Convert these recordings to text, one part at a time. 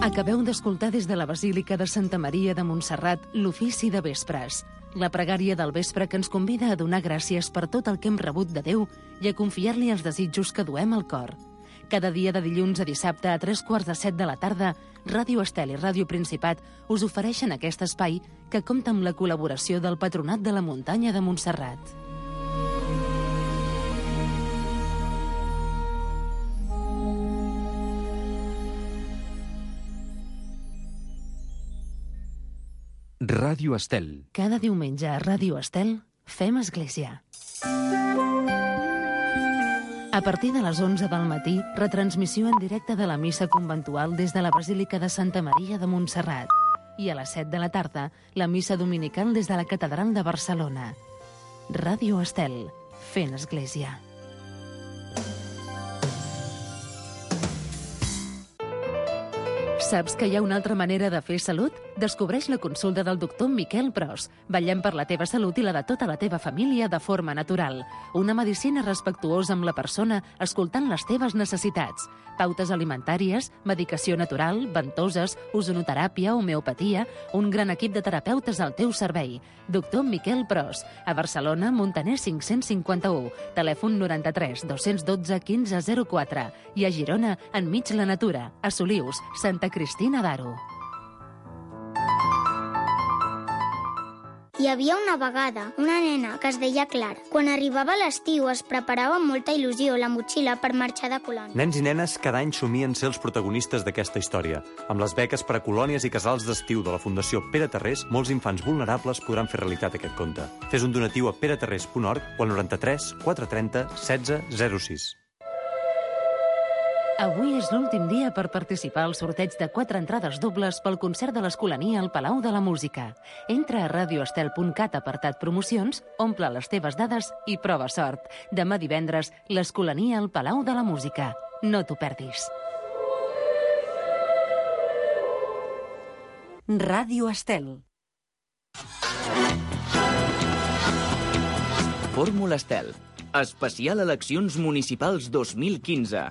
Acabeu d'escoltar des de la Basílica de Santa Maria de Montserrat l'ofici de vespres, la pregària del vespre que ens convida a donar gràcies per tot el que hem rebut de Déu i a confiar-li els desitjos que duem al cor. Cada dia de dilluns a dissabte a 3:45 de la tarda, Ràdio Estel i Ràdio Principat us ofereixen aquest espai que compta amb la col·laboració del Patronat de la Muntanya de Montserrat. Ràdio Estel. Cada diumenge a Ràdio Estel fem església. A partir de les 11 del matí, retransmissió en directe de la missa conventual des de la Basílica de Santa Maria de Montserrat. I a les 7 de la tarda, la missa dominical des de la Catedral de Barcelona. Ràdio Estel, fent església. Saps que hi ha una altra manera de fer salut? Descobreix la consulta del doctor Miquel Pros. Vetllem per la teva salut i la de tota la teva família de forma natural. Una medicina respectuosa amb la persona, escoltant les teves necessitats. Pautes alimentàries, medicació natural, ventoses, ozonoteràpia, homeopatia, un gran equip de terapeutes al teu servei. Doctor Miquel Pros, a Barcelona, Montaner 551, telèfon 93 212 1504 i a Girona, enmig la natura, a Solius, Santa Cristina d'Aro. Hi havia una vegada una nena que es deia Clara. Quan arribava l'estiu es preparava amb molta il·lusió la motxilla per marxar de colònia. Nens i nenes cada any somien ser els protagonistes d'aquesta història. Amb les beques per a colònies i casals d'estiu de la Fundació Pere Tarrés, molts infants vulnerables podran fer realitat aquest conte. Fes un donatiu a peretarrés.org o al 93 430 1606. Avui és l'últim dia per participar al sorteig de 4 entrades dobles pel concert de l'Escolania al Palau de la Música. Entra a radioestel.cat apartat promocions, omple les teves dades i prova sort. Demà divendres, l'Escolania al Palau de la Música. No t'ho perdis. Ràdio Estel. Fórmula Estel. Especial Eleccions Municipals 2015.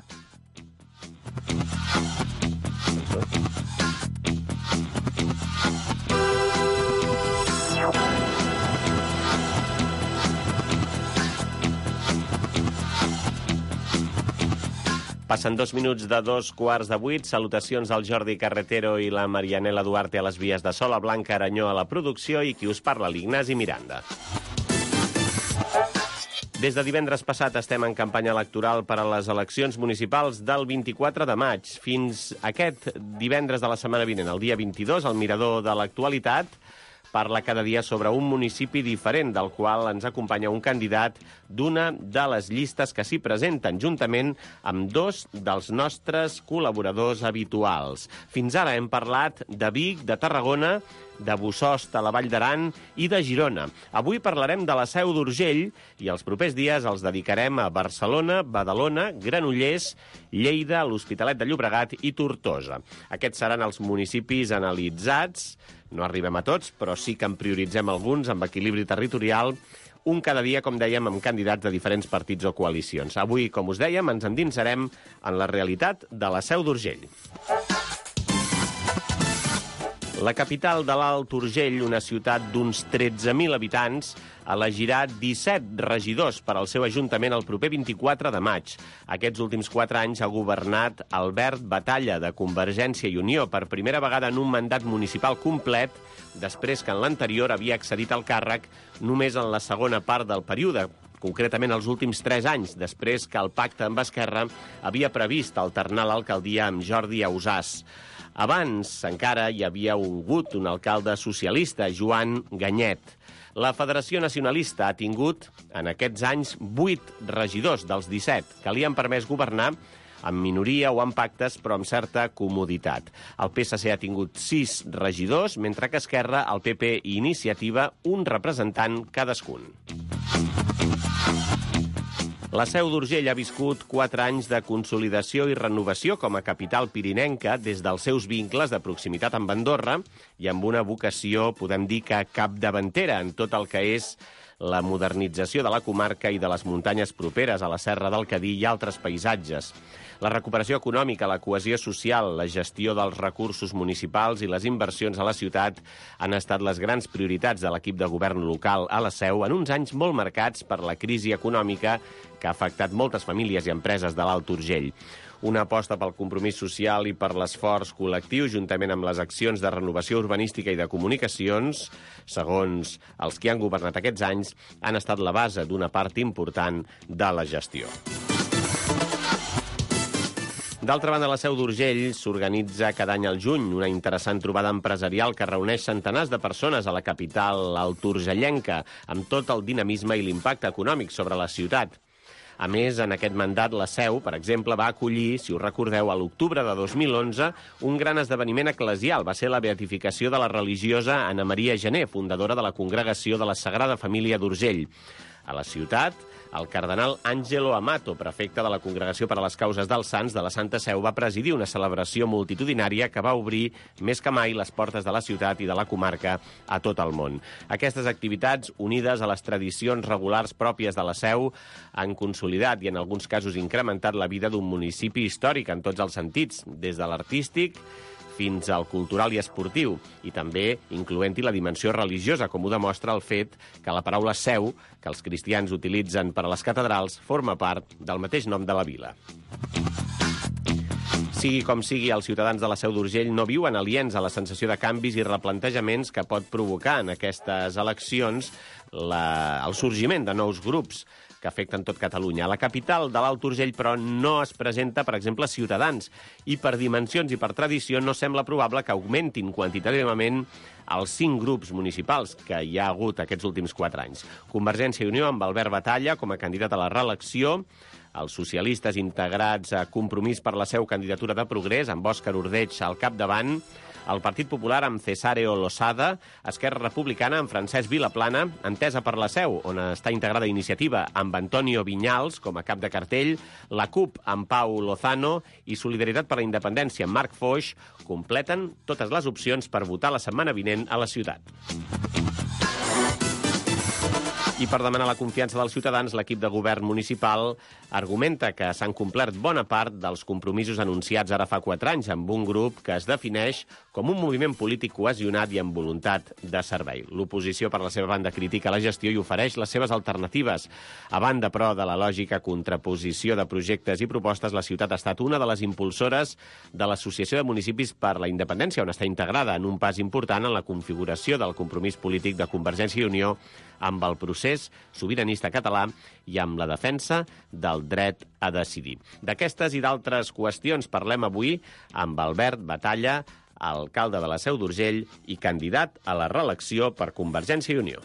Passen 2 minuts de 2:15. Salutacions al Jordi Carretero i la Marianela Duarte a les vies de so, la Blanca Aranyó a la producció i qui us parla, l'Ignasi Miranda. Des de divendres passat estem en campanya electoral per a les eleccions municipals del 24 de maig. Fins aquest divendres de la setmana vinent, el dia 22, el Mirador de l'Actualitat parla cada dia sobre un municipi diferent, del qual ens acompanya un candidat d'una de les llistes que s'hi presenten, juntament amb 2 dels nostres col·laboradors habituals. Fins ara hem parlat de Vic, de Tarragona, de Bossòst a la Vall d'Aran i de Girona. Avui parlarem de la Seu d'Urgell i els propers dies els dedicarem a Barcelona, Badalona, Granollers, Lleida, l'Hospitalet de Llobregat i Tortosa. Aquests seran els municipis analitzats. No arribem a tots, però sí que en prioritzem alguns amb equilibri territorial, un cada dia, com dèiem, amb candidats de diferents partits o coalicions. Avui, com us dèiem, ens endinsarem en la realitat de la Seu d'Urgell. La capital de l'Alt Urgell, una ciutat d'uns 13.000 habitants, elegirà 17 regidors per al seu ajuntament el proper 24 de maig. Aquests últims 4 anys ha governat Albert Batalla, de Convergència i Unió, per primera vegada en un mandat municipal complet, després que en l'anterior havia accedit al càrrec només en la segona part del període, concretament els últims 3 anys, després que el pacte amb Esquerra havia previst alternar l'alcaldia amb Jordi Ausàs. Abans encara hi havia hagut un alcalde socialista, Joan Ganyet. La Federació Nacionalista ha tingut, en aquests anys, 8 regidors dels 17, que li han permès governar amb minoria o amb pactes, però amb certa comoditat. El PSC ha tingut 6 regidors, mentre que Esquerra, el PP i Iniciativa, un representant cadascun. La Seu d'Urgell ha viscut 4 anys de consolidació i renovació com a capital pirinenca des dels seus vincles de proximitat amb Andorra i amb una vocació, podem dir que capdavantera en tot el que és la modernització de la comarca i de les muntanyes properes a la Serra del Cadí i altres paisatges. La recuperació econòmica, la cohesió social, la gestió dels recursos municipals i les inversions a la ciutat han estat les grans prioritats de l'equip de govern local a la Seu en uns anys molt marcats per la crisi econòmica que ha afectat moltes famílies i empreses de l'Alt Urgell. Una aposta pel compromís social i per l'esforç col·lectiu, juntament amb les accions de renovació urbanística i de comunicacions, segons els que han governat aquests anys, han estat la base d'una part important de la gestió. D'altra banda, a la Seu d'Urgell s'organitza cada any al juny una interessant trobada empresarial que reuneix centenars de persones a la capital alturgellenca, amb tot el dinamisme i l'impacte econòmic sobre la ciutat. A més, en aquest mandat, la Seu, per exemple, va acollir, si us recordeu, a l'octubre de 2011, un gran esdeveniment eclesial. Va ser la beatificació de la religiosa Anna Maria Gené, fundadora de la Congregació de la Sagrada Família d'Urgell. A la ciutat, el cardenal Angelo Amato, prefecte de la Congregació per a les Causes dels Sants de la Santa Seu, va presidir una celebració multitudinària que va obrir més que mai les portes de la ciutat i de la comarca a tot el món. Aquestes activitats, unides a les tradicions regulars pròpies de la Seu, han consolidat i en alguns casos incrementat la vida d'un municipi històric en tots els sentits, des de l'artístic fins al cultural i esportiu, i també incloent-hi la dimensió religiosa, com ho demostra el fet que la paraula seu, que els cristians utilitzen per a les catedrals, forma part del mateix nom de la vila. Sigui com sigui, els ciutadans de la Seu d'Urgell no viuen aliens a la sensació de canvis i replantejaments que pot provocar en aquestes eleccions el sorgiment de nous grups que afecten tot Catalunya. A la capital de l'Alt Urgell, però, no es presenta, per exemple, Ciutadans, i per dimensions i per tradició no sembla probable que augmentin quantitativament els 5 grups municipals que hi ha hagut aquests últims 4 anys. Convergència i Unió amb Albert Batalla com a candidat a la reelecció, els socialistes integrats a Compromís per la Seu, candidatura de Progrés, amb Òscar Ordeig al capdavant, el Partit Popular amb Cesáreo Losada, Esquerra Republicana amb Francesc Vilaplana, Entesa per la Seu, on està integrada Iniciativa amb Antonio Viñals com a cap de cartell, la CUP amb Pau Lozano i Solidaritat per la Independència amb Marc Foix completen totes les opcions per votar la setmana vinent a la ciutat. I per demanar la confiança dels ciutadans, l'equip de govern municipal argumenta que s'han complert bona part dels compromisos anunciats ara fa 4 anys amb un grup que es defineix com un moviment polític cohesionat i amb voluntat de servei. L'oposició, per la seva banda, critica la gestió i ofereix les seves alternatives. A banda, però, de la lògica contraposició de projectes i propostes, la ciutat ha estat una de les impulsores de l'Associació de Municipis per la Independència, on està integrada en un pas important en la configuració del compromís polític de Convergència i Unió amb el procés sobiranista català i amb la defensa del dret a decidir. D'aquestes i d'altres qüestions parlem avui amb Albert Batalla, alcalde de la Seu d'Urgell i candidat a la reelecció per Convergència i Unió.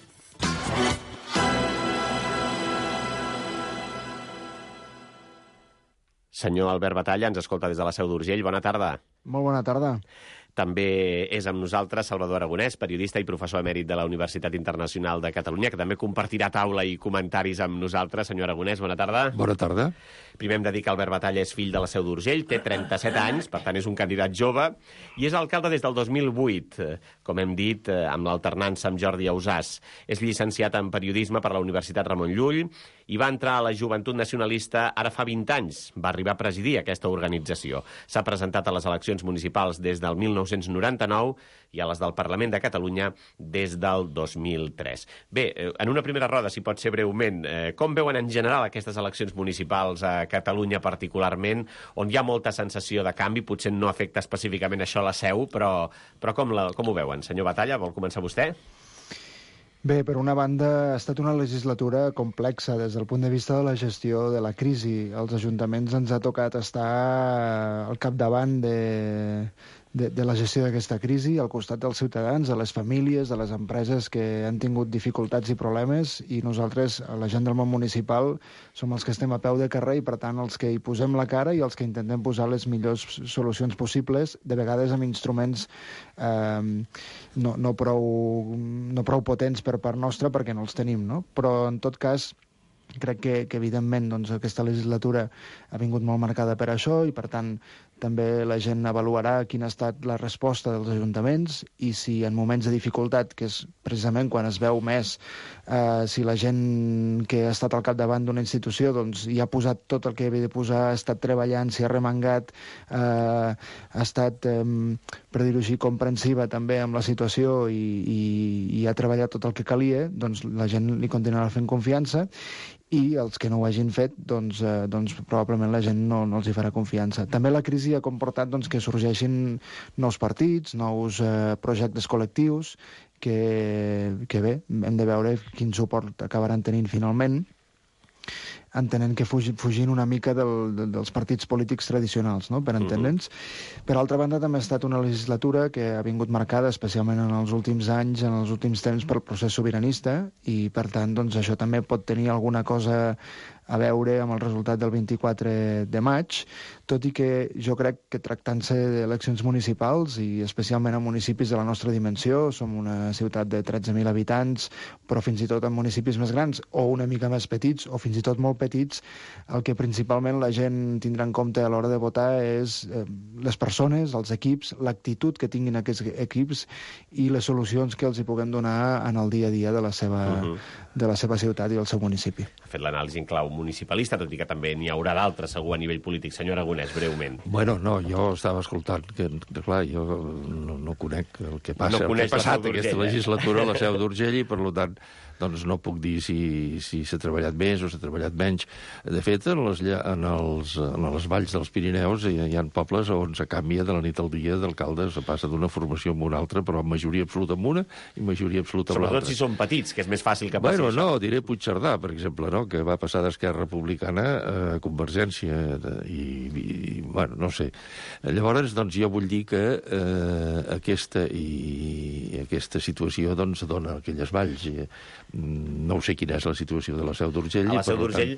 Senyor Albert Batalla, ens escolta des de la Seu d'Urgell. Bona tarda. Molt bona tarda. També és amb nosaltres Salvador Aragonès, periodista i professor emèrit de la Universitat Internacional de Catalunya, que també compartirà taula i comentaris amb nosaltres. Senyor Aragonès, bona tarda. Bona tarda. Primer hem de dir que Albert Batalla és fill de la Seu d'Urgell, té 37 anys, per tant és un candidat jove, i és alcalde des del 2008, com hem dit, amb l'alternança amb Jordi Ausàs. És llicenciat en periodisme per la Universitat Ramon Llull i va entrar a la Joventut Nacionalista ara fa 20 anys. Va arribar a presidir aquesta organització. S'ha presentat a les eleccions municipals des del 1999 i a les del Parlament de Catalunya des del 2003. Bé, en una primera roda, si pot ser breument, com veuen en general aquestes eleccions municipals a Catalunya particularment, on hi ha molta sensació de canvi? Potser no afecta específicament això a la Seu, però com ho veuen? Senyor Batalla, vol començar vostè? Bé, per una banda, ha estat una legislatura complexa des del punt de vista de la gestió de la crisi. Els ajuntaments ens ha tocat estar al capdavant de la gestió d'aquesta crisi, al costat dels ciutadans, de les famílies, de les empreses que han tingut dificultats i problemes, i nosaltres, la gent del món municipal, som els que estem a peu de carrer i, per tant, els que hi posem la cara i els que intentem posar les millors solucions possibles, de vegades amb instruments no prou potents per part nostra perquè no els tenim, no? Però, en tot cas, crec que evidentment, doncs, aquesta legislatura ha vingut molt marcada per això i, per tant, també la gent avaluarà quina ha estat la resposta dels ajuntaments i si en moments de dificultat, que és precisament quan es veu més, si la gent que ha estat al capdavant d'una institució doncs, hi ha posat tot el que havia de posar, ha estat treballant, s'hi ha remengat, ha estat, per dir-ho així, comprensiva també amb la situació i ha treballat tot el que calia, doncs la gent li continuarà fent confiança, i els que no ho hagin fet, doncs probablement la gent no els hi farà confiança. També la crisi ha comportat que sorgeixin nous partits, nous projectes col·lectius, que bé, hem de veure quin suport acabaran tenint finalment, entenent que fugint una mica dels partits polítics tradicionals, no?, per entendre'ns. Per altra banda, també ha estat una legislatura que ha vingut marcada, especialment en els últims anys, en els últims temps, pel procés sobiranista, i, per tant, doncs, això també pot tenir alguna cosa a veure amb el resultat del 24 de maig, tot i que jo crec que tractant-se d'eleccions municipals, i especialment en municipis de la nostra dimensió, som una ciutat de 13.000 habitants, però fins i tot en municipis més grans, o una mica més petits, o fins i tot molt petits, el que principalment la gent tindrà en compte a l'hora de votar és les persones, els equips, l'actitud que tinguin aquests equips i les solucions que els hi puguem donar en el dia a dia de la seva ciutat i del seu municipi. Ha fet l'anàlisi en clau municipalista, tot i que també n'hi haurà d'altres, segur, a nivell polític. Senyor Aragonès, breument. Bueno, no, jo estava escoltant que clar, jo no conec el que passa, el que ha passat aquesta legislatura a la Seu d'Urgell i, per tant, doncs no puc dir si s'ha treballat més o s'ha treballat menys. De fet, en les valls dels Pirineus hi ha pobles on se canvia de la nit al dia d'alcalde, se passa d'una formació a una altra, però amb majoria absoluta amb una i majoria absoluta amb l'altra. Sobretot si són petits, que és més fàcil que passi això. Bueno, no, diré Puigcerdà, per exemple, no?, que va passar d'Esquerra Republicana a Convergència i bueno, no sé. Llavors, doncs, jo vull dir que aquesta situació doncs dona aquelles valls. No sé quina és la situació de la Seu d'Urgell. A la Seu d'Urgell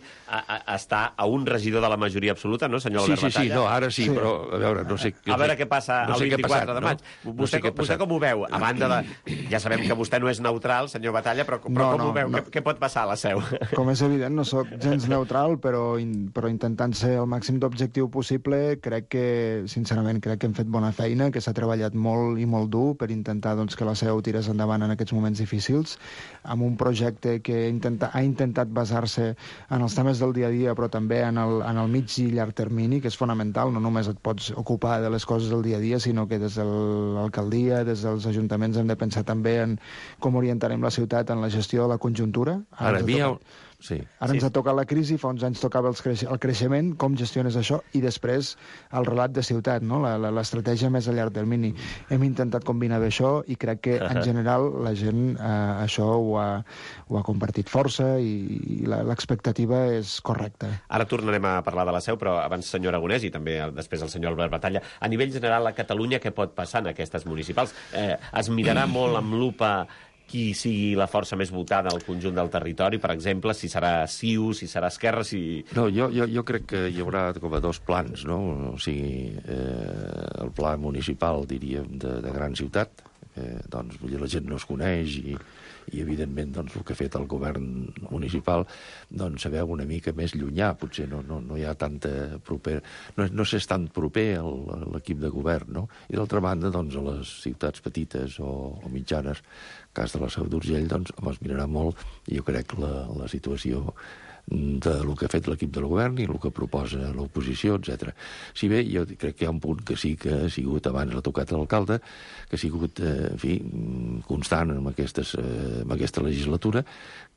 està a un regidor de la majoria absoluta, no, senyor Albert Batalla? Sí, no, ara sí, però a veure, no sé... A veure què passa el 24 de maig. Vostè com ho veu? A banda de... Ja sabem que vostè no és neutral, senyor Batalla, però com ho veu? Què pot passar a la Seu? Com és evident, no sóc gens neutral, però intentant ser el màxim d'objectiu possible, crec que, sincerament, hem fet bona feina, que s'ha treballat molt i molt dur per intentar que la Seu tirés endavant en aquests moments difícils, amb un projecte que ha intentat basar-se en els temes del dia a dia, però també en el mig i llarg termini, que és fonamental. No només et pots ocupar de les coses del dia a dia, sinó que des de l'alcaldia, des dels ajuntaments, hem de pensar també en com orientarem la ciutat en la gestió de la conjuntura. Ara ens ha tocat la crisi, fa uns anys tocava el creixement, com gestiones això, i després el relat de ciutat, no?, l'estratègia més a llarg termini. Hem intentat combinar bé això i crec que, en general, la gent això ho ha compartit força i l'expectativa és correcta. Ara tornarem a parlar de la Seu, però abans, senyor Aragonès, i també després el senyor Albert Batalla, a nivell general a Catalunya, què pot passar en aquestes municipals? Es mirarà molt amb lupa qui sigui la força més votada al conjunt del territori, per exemple, si serà CiU, si serà Esquerra, si... No, jo crec que hi haurà com a dos plans, no? O sigui, el pla municipal, diríem, de gran ciutat, doncs la gent no es coneix i evidentment, doncs, el que ha fet el govern municipal, doncs, se veu una mica més llunyà, potser no hi ha tanta proper... No s'és tan proper a l'equip de govern, no? I d'altra banda, doncs, a les ciutats petites o mitjanes, cas de la Seu d'Urgell, doncs, es mirarà molt, i jo crec la situació del que ha fet l'equip del govern i el que proposa l'oposició, etc. Si bé jo crec que hi ha un punt que sí que ha sigut, abans l'ha tocat l'alcalde, que ha sigut, en fi, constant en aquesta legislatura,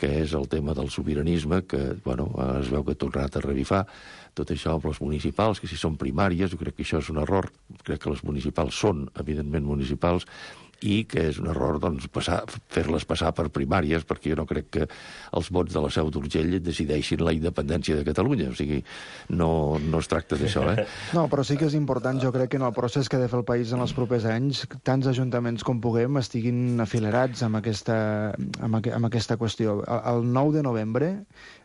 que és el tema del sobiranisme, que, bueno, es veu que ha tornat a revifar tot això amb les municipals, que si són primàries, jo crec que això és un error, crec que les municipals són, evidentment, municipals, i que és un error, doncs, fer-les passar per primàries, perquè jo no crec que els vots de la Seu d'Urgell decideixin la independència de Catalunya. O sigui, no es tracta d'això, No, però sí que és important, jo crec, que en el procés que ha de fer el país en els propers anys, tants ajuntaments com puguem estiguin afilerats amb aquesta qüestió. El 9 de novembre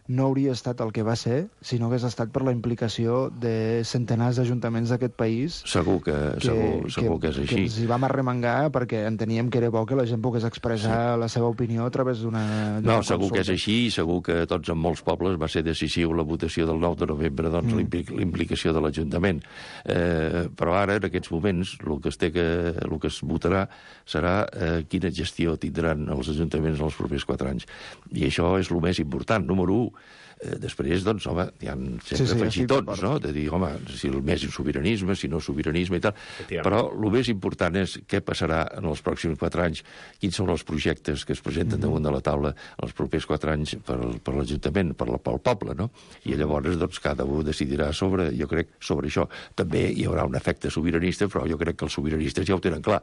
no hauria estat el que va ser si no hagués estat per la implicació de centenars d'ajuntaments d'aquest país. Segur que és així. Que ens hi vam arremangar perquè enteníem que era bo que la gent pogués expressar la seva opinió a través d'una No, segur que és així, i segur que tots en molts pobles va ser decisiu la votació del 9 de novembre, doncs l'implicació de l'Ajuntament. Però ara, en aquests moments, el que es votarà serà quina gestió tindran els ajuntaments en els propers 4 anys. I això és el més important. Número 1. Després, doncs, home, hi ha sempre afegitons, no? De dir, home, si el més sobiranisme, si no sobiranisme i tal. Però el més important és què passarà en els pròxims 4 anys, quins són els projectes que es presenten damunt de la taula en els propers 4 anys per l'Ajuntament, pel poble, no? I llavors, doncs, cada un decidirà sobre això. També hi haurà un efecte sobiranista, però jo crec que els sobiranistes ja ho tenen clar.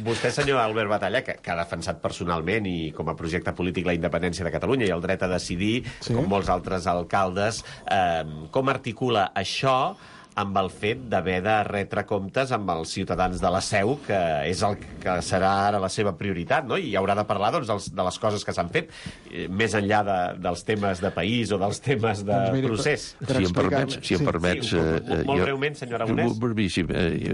Vostè, senyor Albert Batalla, que ha defensat personalment i com a projecte polític la independència de Catalunya i el dret a decidir, com molts altres alcaldes, com articula això amb el fet d'haver de retre comptes amb els ciutadans de la Seu, que és el que serà ara la seva prioritat, no? I haurà de parlar, doncs, de les coses que s'han fet, més enllà dels temes de país o dels temes de procés. Si em permets... Molt breument, senyor Aragonès.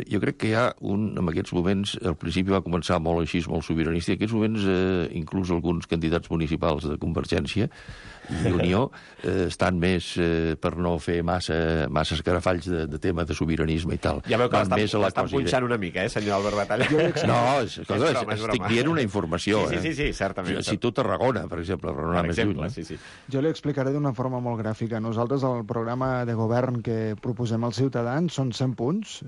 Jo crec que hi ha en aquests moments, al principi va començar molt així, molt sobiranista, i en aquests moments inclús alguns candidats municipals de Convergència i Unió estan més per no fer massa escarafalls de tema de sobiranisme i tal. Ja veu que l'estan punxant una mica, senyor Albert Batalla? No, estic dient una informació. Sí, certament. Si tu Tarragona, per exemple, Jo li explicaré d'una forma molt gràfica. Nosaltres, el programa de govern que proposem als ciutadans són 100 punts,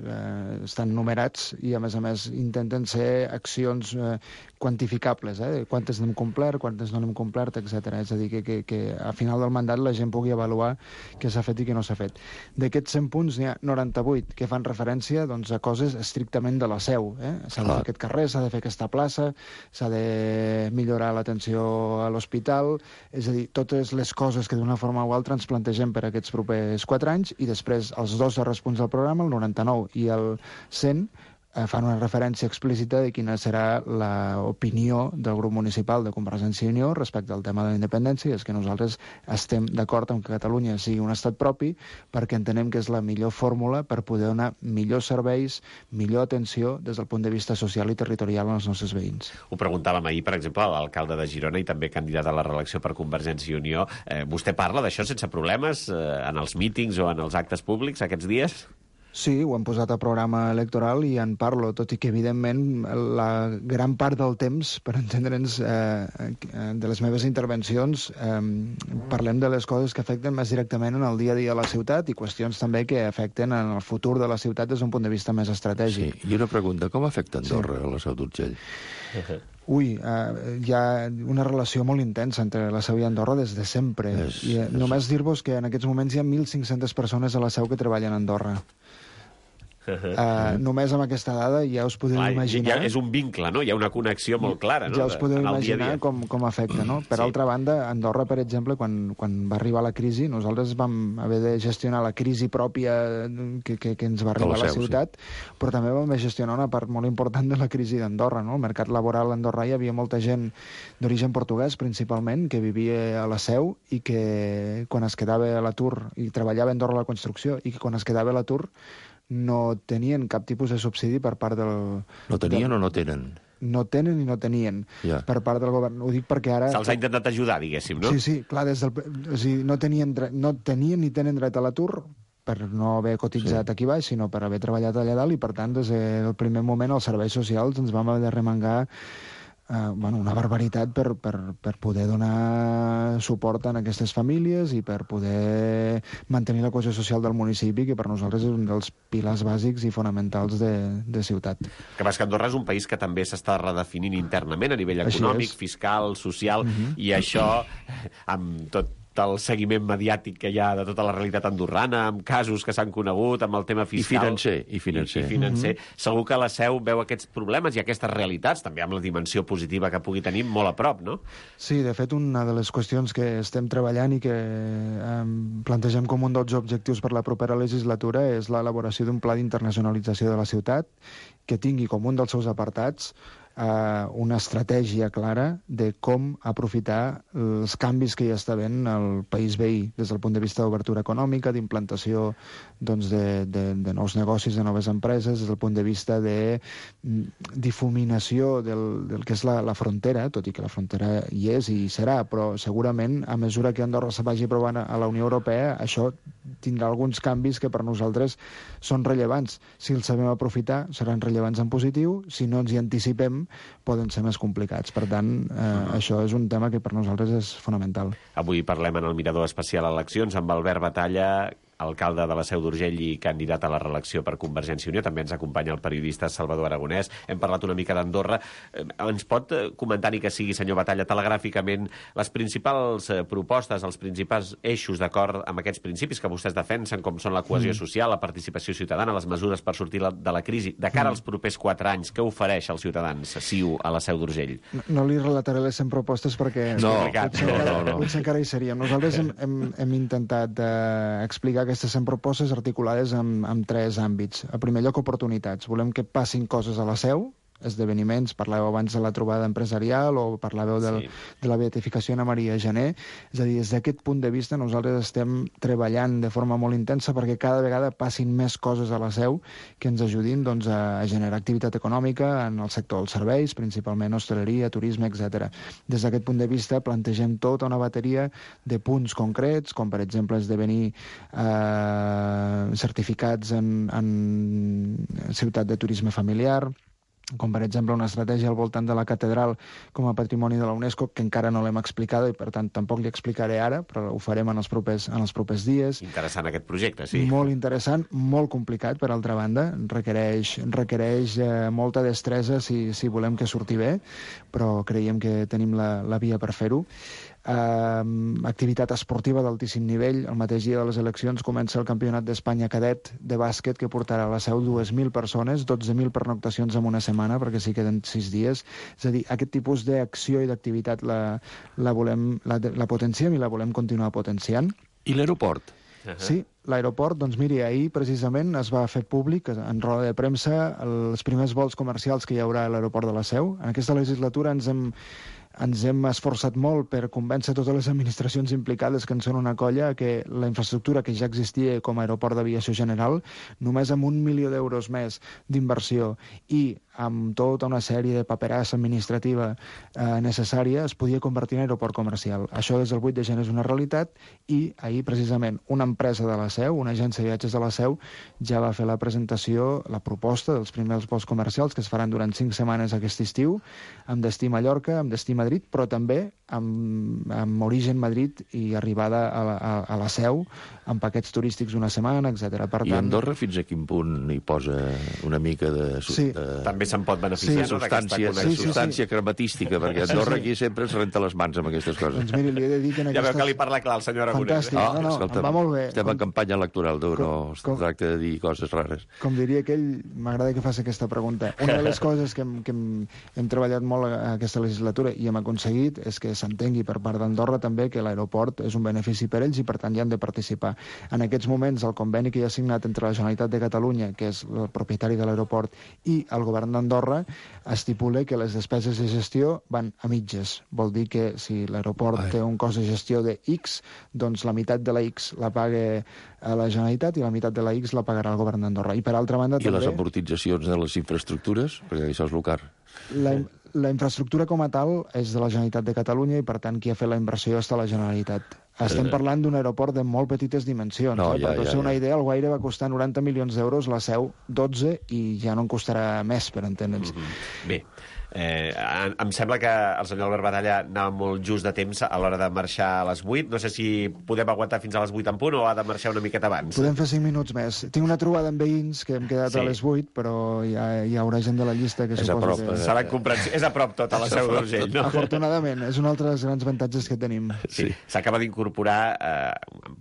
estan numerats i, a més, intenten ser accions quantificables, quantes n'hem complert, quantes no n'hem complert, etc. És a dir, que a final del mandat la gent pugui avaluar què s'ha fet i què no s'ha fet. D'aquests 100 punts n'hi ha 98 que fan referència, doncs, a coses estrictament de la Seu. S'ha de fer aquest carrer, s'ha de fer aquesta plaça, s'ha de millorar l'atenció a l'hospital, és a dir, totes les coses que d'una forma o altra ens plantegem per aquests propers 4 anys, i després els 2 darrers punts del programa, el 99 i el 100, fan una referència explícita de quina serà l'opinió del grup municipal de Convergència i Unió respecte al tema de la independència, i és que nosaltres estem d'acord amb que Catalunya sigui un estat propi perquè entenem que és la millor fórmula per poder donar millors serveis, millor atenció des del punt de vista social i territorial als nostres veïns. Ho preguntàvem ahir, per exemple, a l'alcalde de Girona i també candidat a la reelecció per Convergència i Unió. Vostè parla d'això sense problemes en els mítings o en els actes públics aquests dies? Sí, ho hem posat a programa electoral i en parlo, tot i que, evidentment, la gran part del temps, per entendre'ns, de les meves intervencions, parlem de les coses que afecten més directament en el dia a dia de la ciutat i qüestions també que afecten en el futur de la ciutat des d'un punt de vista més estratègic. Sí, i una pregunta, com afecta Andorra a la Seu d'Urgell? Hi ha una relació molt intensa entre la Seu i Andorra des de sempre. Només dir-vos que en aquests moments hi ha 1.500 persones a la Seu que treballen a Andorra. Només amb aquesta dada ja us podeu imaginar... És un vincle, no? Hi ha una connexió molt clara, no? Ja us podeu imaginar com afecta, no? Per altra banda, Andorra, per exemple, quan va arribar la crisi, nosaltres vam haver de gestionar la crisi pròpia que ens va arribar a la ciutat, però també vam haver de gestionar una part molt important de la crisi d'Andorra, no? Al mercat laboral a Andorra hi havia molta gent d'origen portuguès, principalment, que vivia a la Seu i que quan es quedava a l'atur, i treballava a Andorra a la construcció, i que quan es quedava a l'atur no tenien cap tipus de subsidi per part del... No tenien o no tenen? No tenen i no tenien per part del govern. Ho dic perquè ara... Se'ls ha intentat ajudar, diguéssim, no? Sí, clar, o sigui, no tenien ni tenen dret a l'atur per no haver cotitzat aquí baix, sinó per haver treballat allà dalt, i per tant, des del primer moment, els serveis socials ens vam haver de remengar una barbaritat per poder donar suport a aquestes famílies i per poder mantenir la cohesió social del municipi, que per nosaltres és un dels pilars bàsics i fonamentals de ciutat. Que Andorra és un país que també s'està redefinint internament a nivell econòmic, fiscal, social, i això, amb tot el seguiment mediàtic que hi ha de tota la realitat andorrana, amb casos que s'han conegut, amb el tema fiscal... I financer. Segur que la Seu veu aquests problemes i aquestes realitats, també amb la dimensió positiva que pugui tenir, molt a prop, no? Sí, de fet, una de les qüestions que estem treballant i que plantegem com un dels objectius per la propera legislatura és l'elaboració d'un pla d'internacionalització de la ciutat que tingui com un dels seus apartats una estratègia clara de com aprofitar els canvis que ja està havent al país veí, des del punt de vista d'obertura econòmica, d'implantació doncs, de nous negocis, de noves empreses, des del punt de vista de difuminació del que és la frontera, tot i que la frontera hi és i hi serà, però segurament a mesura que Andorra se vagi aprovant a la Unió Europea, això tindrà alguns canvis que per nosaltres són rellevants. Si els sabem aprofitar, seran rellevants en positiu. Si no ens hi anticipem, poden ser més complicats. Per tant, això és un tema que per nosaltres és fonamental. Avui parlem en el Mirador Especial Eleccions amb Albert Batalla, alcalde de la Seu d'Urgell i candidat a la reelecció per Convergència i Unió. També ens acompanya el periodista Salvador Aragonès. Hem parlat una mica d'Andorra. Ens pot comentar, ni que sigui, senyor Batalla, telegràficament, les principals propostes, els principals eixos d'acord amb aquests principis que vostès defensen, com són la cohesió social, la participació ciutadana, les mesures per sortir de la crisi, de cara als propers 4 anys, què ofereix als ciutadans CiU a la Seu d'Urgell? No li relataré les 100 propostes perquè potser encara hi seríem. Nosaltres hem intentat explicar aquestes 100 propostes articulades en 3 àmbits. En primer lloc, oportunitats. Volem que passin coses a la Seu, esdeveniments, parlàveu abans de la trobada empresarial o parlàveu de la beatificació a Maria Gené. És a dir, des d'aquest punt de vista nosaltres estem treballant de forma molt intensa perquè cada vegada passin més coses a la Seu que ens ajudin doncs, a generar activitat econòmica en el sector dels serveis, principalment hostaleria, turisme, etc. Des d'aquest punt de vista plantegem tota una bateria de punts concrets, com per exemple esdevenir certificats en ciutat de turisme familiar, com per exemple una estratègia al voltant de la catedral com a patrimoni de la UNESCO, que encara no l'hem explicada i per tant tampoc li explicaré ara, però ho farem en els propers dies. Interessant aquest projecte, sí. Molt interessant, molt complicat, per altra banda. Requereix molta destresa si volem que surti bé, però creiem que tenim la via per fer-ho. Activitat esportiva d'altíssim nivell. El mateix dia de les eleccions comença el Campionat d'Espanya cadet de bàsquet que portarà a la Seu 2.000 persones, 12.000 pernoctacions en una setmana perquè s'hi queden 6 dies. És a dir, aquest tipus d'acció i d'activitat la potenciem i la volem continuar potenciant. I l'aeroport? Sí, l'aeroport, doncs miri, ahir precisament es va fer públic en roda de premsa els primers vols comercials que hi haurà a l'aeroport de la Seu. En aquesta legislatura ens hem esforçat molt per convèncer totes les administracions implicades, que en són una colla, que la infraestructura que ja existia com a aeroport d'aviació general, només amb 1 milió d'euros més d'inversió i amb tota una sèrie de paperassa administrativa necessària, es podia convertir en aeroport comercial. Això des del 8 de gener és una realitat i ahir, precisament, una empresa de la Seu, una agència de viatges de la Seu, ja va fer la presentació, la proposta dels primers vols comercials que es faran durant 5 setmanes aquest estiu, amb destí Mallorca, amb destí Madrid, però també amb origen Madrid i arribada a la Seu, amb paquets turístics una setmana, etc. I Andorra fins a quin punt hi posa una mica de... Sí. També se'n pot beneficiar, no, substància crematística, perquè Andorra aquí sempre es renta les mans amb aquestes coses. Doncs miri, li he de dir que en Ja veu que li parla clar el senyor Aragonès. Fantàstic, em va molt bé. Estem en campanya electoral, no es tracta de dir coses rares. Com diria aquell, m'agrada que faci aquesta pregunta. Una de les coses que hem treballat molt a aquesta legislatura i hem aconseguit és que s'entengui per part d'Andorra també que l'aeroport és un benefici per ells i per tant hi han de participar. En aquests moments el conveni que hi ha signat entre la Generalitat de Catalunya, que és el propietari de l'aeroport, i el govern d'Andorra estipula que les despeses de gestió van a mitges. Vol dir que si l'aeroport té un cost de gestió de X, doncs la meitat de la X la paga a la Generalitat i la meitat de la X la pagarà el govern d'Andorra. I per altra banda també... I les amortitzacions de les infraestructures? Perquè això és el car. La infraestructura com a tal és de la Generalitat de Catalunya i per tant qui ha fet la inversió està la Generalitat. Estem parlant d'un aeroport de molt petites dimensions. Per fer una idea, el Guaire va costar 90 milions d'euros, la Seu 12 i ja no en costarà més, per entendre'ns. Bé, em sembla que el senyor Albert Batalla anava molt just de temps a l'hora de marxar a les 8. No sé si podem aguantar fins a les 8 en punt o ha de marxar una miqueta abans. Podem fer 5 minuts més. Tinc una trobada amb veïns que hem quedat a les 8, però hi haurà gent de la llista que suposo que... Serà incomprensible. És a prop tot a la Seu d'Urgell, no? Afortunadament, és un altre dels grans avantatges que tenim. Sí. S'acaba d'incorporar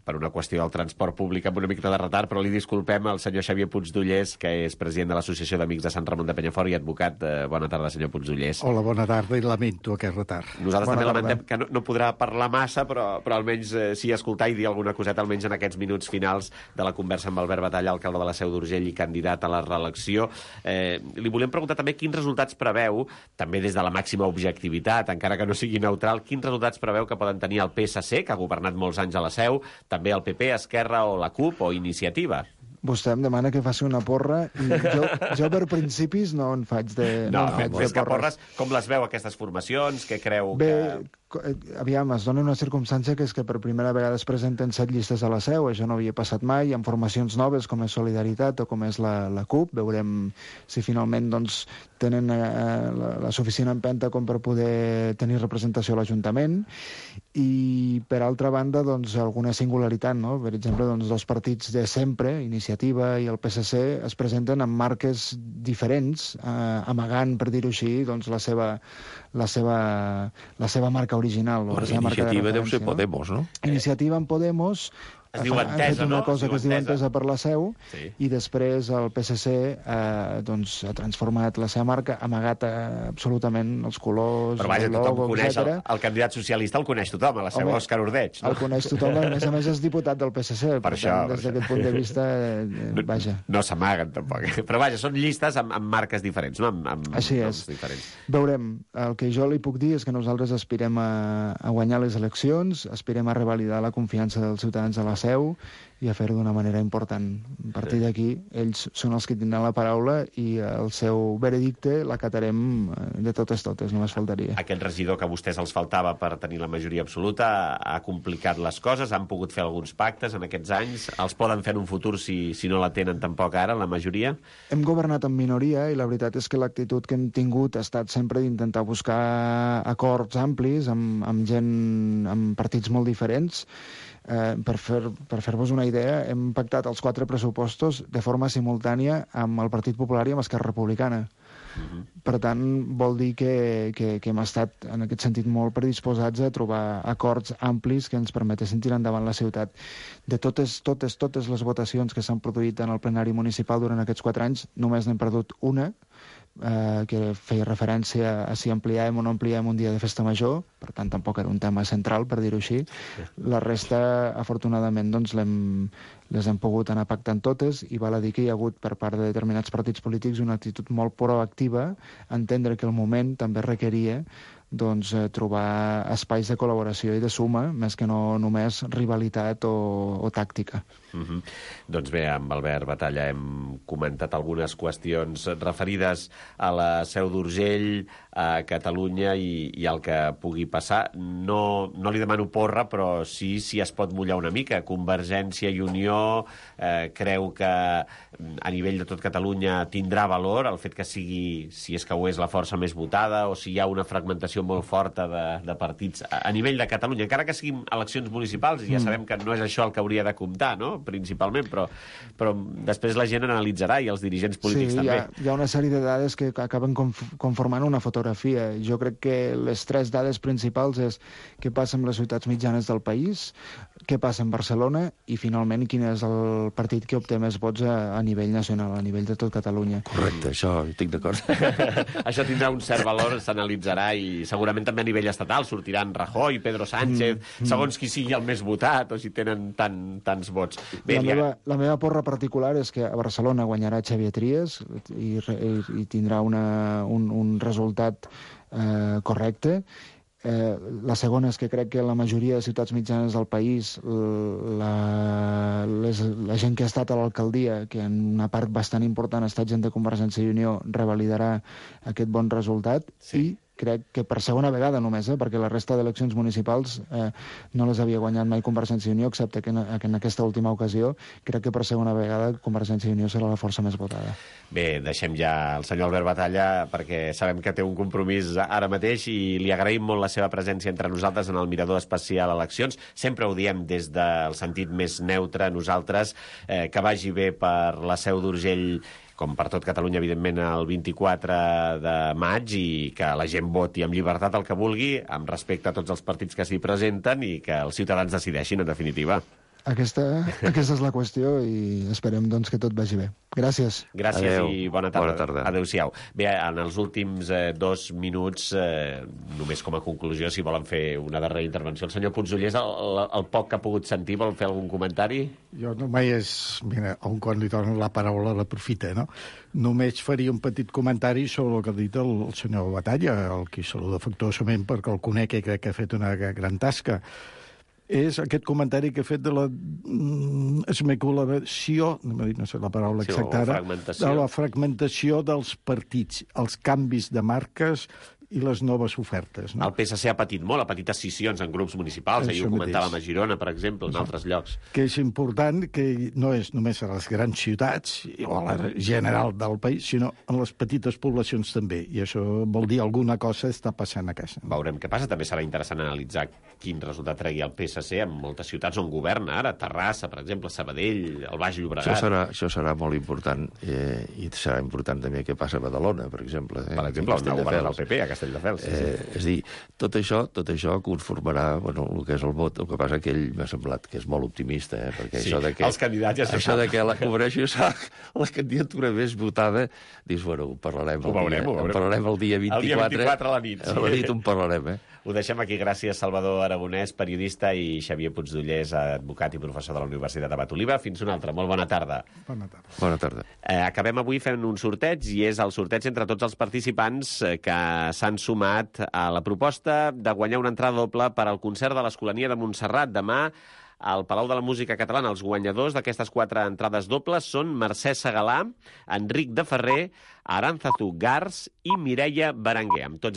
per una qüestió del transport públic amb una mica de retard, però li disculpem al senyor Xavier Puigdollers, que és president de l'Associació d'Amics de Sant Ramon de Penyafort i advocat. Bona tarda, senyor Puigdollers. Puigdollers. Hola, bona tarda, i lamento aquest retard. Nosaltres també lamentem que no podrà parlar massa, però almenys sí escoltar i dir alguna coseta, almenys en aquests minuts finals de la conversa amb Albert Batalla, alcalde de la Seu d'Urgell i candidat a la reelecció. Li volem preguntar també quins resultats preveu, també des de la màxima objectivitat, encara que no sigui neutral, quins resultats preveu que poden tenir el PSC, que ha governat molts anys a la Seu, també el PP, Esquerra o la CUP o Iniciativa. Vostè em demana que faci una porra i jo per principis no en faig de més que porres, com les veu aquestes formacions? Què creu que... Aviam, es dona una circumstància que és que per primera vegada es presenten 7 llistes a la Seu, això no havia passat mai, amb formacions noves com és Solidaritat o com és la CUP. Veurem si finalment doncs, tenen la suficient empenta com per poder tenir representació a l'Ajuntament. I, per altra banda, doncs, alguna singularitat, no? Per exemple, doncs, dos partits de sempre, Iniciativa i el PSC, es presenten amb marques diferents, amagant, per dir-ho així, doncs, la seva marca original. La Iniciativa deu ser Podemos, no? Iniciativa en Podemos... Es diu Entesa, no? Una cosa que es diu Entesa per la Seu, sí. I després el PSC doncs, ha transformat la seva marca, amagat absolutament els colors, però vaja, el logo, tothom coneix etc. el candidat socialista, el coneix tothom, a la Seu, Òscar Ordeig. No? El coneix tothom, a més és diputat del PSC, per tant, des d'aquest punt de vista, vaja. No s'amaguen, tampoc. Però vaja, són llistes amb marques diferents, no? Així és. Diferents. Veurem. El que jo li puc dir és que nosaltres aspirem a guanyar les eleccions, aspirem a revalidar la confiança dels ciutadans a la Seu i a fer-ho d'una manera important. A partir d'aquí, ells són els que tindran la paraula i el seu veredicte l'acatarem de totes, només faltaria. Aquest regidor que a vostès els faltava per tenir la majoria absoluta ha complicat les coses, han pogut fer alguns pactes en aquests anys, els poden fer en un futur si no la tenen tampoc ara, la majoria? Hem governat en minoria i la veritat és que l'actitud que hem tingut ha estat sempre d'intentar buscar acords amplis amb gent, amb partits molt diferents. Per fer-vos una idea, hem pactat els 4 pressupostos de forma simultània amb el Partit Popular i amb Esquerra Republicana. Per tant, vol dir que hem estat, en aquest sentit, molt predisposats a trobar acords amplis que ens permetessin tirar endavant la ciutat. De totes les votacions que s'han produït en el plenari municipal durant aquests 4 anys, només n'hem perdut una, que feia referència a si ampliàvem o no ampliàvem un dia de festa major, per tant tampoc era un tema central, per dir-ho així. La resta, afortunadament, doncs les hem pogut anar pactant totes i val a dir que hi ha hagut per part de determinats partits polítics una actitud molt proactiva, entendre que el moment també requeria doncs, trobar espais de col·laboració i de suma, més que no només rivalitat o tàctica. Doncs bé, amb Albert Batalla hem comentat algunes qüestions referides a la Seu d'Urgell, a Catalunya i al que pugui passar. No li demano porra, però sí si es pot mullar una mica. Convergència i Unió creu que a nivell de tot Catalunya tindrà valor el fet que sigui, si és que ho és, la força més votada, o si hi ha una fragmentació molt forta de partits a nivell de Catalunya, encara que siguin eleccions municipals, i ja sabem que no és això el que hauria de comptar, no?, principalment, però després la gent analitzarà i els dirigents polítics també. Sí, hi ha una sèrie de dades que acaben conformant una fotografia. Jo crec que les 3 dades principals és què passa amb les ciutats mitjanes del país, què passa en Barcelona i, finalment, quin és el partit que obté més vots a nivell nacional, a nivell de tot Catalunya. Correcte, això estic d'acord. Això tindrà un cert valor, s'analitzarà, i segurament també a nivell estatal sortiran Rajoy, Pedro Sánchez, segons qui sigui el més votat o si tenen tants vots. Bé, la meva porra particular és que a Barcelona guanyarà Xavier Trias i tindrà un resultat correcte. La segona és que crec que la majoria de ciutats mitjanes del país, la gent que ha estat a l'alcaldia, que en una part bastant important ha estat gent de Convergència i Unió, revalidarà aquest bon resultat. Sí. I crec que per segona vegada només, perquè la resta d'eleccions municipals no les havia guanyat mai Convergència i Unió, excepte que en aquesta última ocasió, crec que per segona vegada Convergència i Unió serà la força més votada. Bé, deixem ja el senyor Albert Batalla, perquè sabem que té un compromís ara mateix i li agraïm molt la seva presència entre nosaltres en el Mirador Especial Eleccions. Sempre ho diem des del sentit més neutre, nosaltres, que vagi bé per la Seu d'Urgell, com per tot Catalunya, evidentment, el 24 de maig, i que la gent voti amb llibertat el que vulgui, amb respecte a tots els partits que s'hi presenten, i que els ciutadans decideixin, en definitiva. Aquesta és la qüestió i esperem doncs, que tot vagi bé. Gràcies. Gràcies Adeu. I bona tarda. Bona tarda. Adéu-siau. Bé, en els últims 2 minuts, només com a conclusió, si volen fer una darrera intervenció, el senyor Puigdollers, el poc que ha pogut sentir, vol fer algun comentari? Jo només, mira, quan li dono la paraula l'aprofita, no? Només faria un petit comentari sobre el que ha dit el senyor Batalla, el qui saluda afectuosament perquè el conec i crec que ha fet una gran tasca. És aquest comentari que he fet de la esmeculació, no sé la paraula exacta ara, de la fragmentació dels partits, els canvis de marques i les noves ofertes. No? El PSC ha patit molt, ha patit escissions en grups municipals, ahir ho comentàvem a Girona, per exemple, en altres llocs. Que és important que no és només a les grans ciutats o a la general del país, sinó en les petites poblacions també, i això vol dir alguna cosa està passant a casa. Veurem què passa. També serà interessant analitzar quin resultat tregui el PSC en moltes ciutats on governa ara, Terrassa, per exemple, Sabadell, el Baix Llobregat. Això serà molt important, i serà important també què passa a Badalona, per exemple. Per exemple, on governa el PP, a Castelldefels. És a dir, tot això conformarà el que és el vot. El que passa que ell m'ha semblat que és molt optimista, perquè sí, això de que... els candidats ja això de que la candidatura més votada, dius, ho parlarem el dia 24. El dia 24 a la nit. A la nit en parlarem, Ho deixem aquí. Gràcies, Salvador Aragonès, periodista, i Xavier Puigdollers, advocat i professor de la Universitat Abat Oliva. Fins una altra. Molt bona tarda. Bona tarda. Acabem avui fent un sorteig, i és el sorteig entre tots els participants que s'han sumat a la proposta de guanyar una entrada doble per al concert de l'Escolania de Montserrat demà al Palau de la Música Catalana. Els guanyadors d'aquestes 4 entrades dobles són Mercè Segalà, Enric de Ferrer, Arantzazu Gars i Mireia Berenguer. Amb tots